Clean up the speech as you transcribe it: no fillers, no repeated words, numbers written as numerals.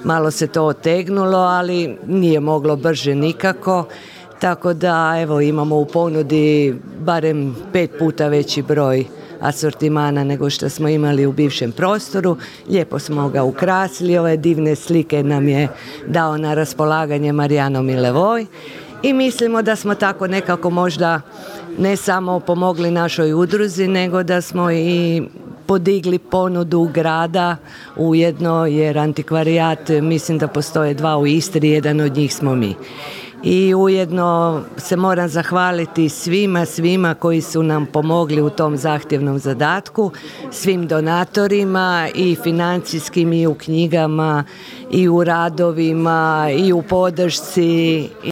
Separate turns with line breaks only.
malo se to otegnulo, ali nije moglo brže nikako. Tako da evo imamo u ponudi barem 5 puta veći broj asortimana nego što smo imali u bivšem prostoru. Lijepo smo ga ukrasili, ove divne slike nam je dao na raspolaganje Marijano Milevoj i mislimo da smo tako nekako možda ne samo pomogli našoj udruzi, nego da smo i podigli ponudu grada ujedno, jer antikvarijat, mislim da postoje 2 u Istri, jedan od njih smo mi. I ujedno se moram zahvaliti svima koji su nam pomogli u tom zahtjevnom zadatku, svim donatorima i financijskim i u knjigama i u radovima i u podršci.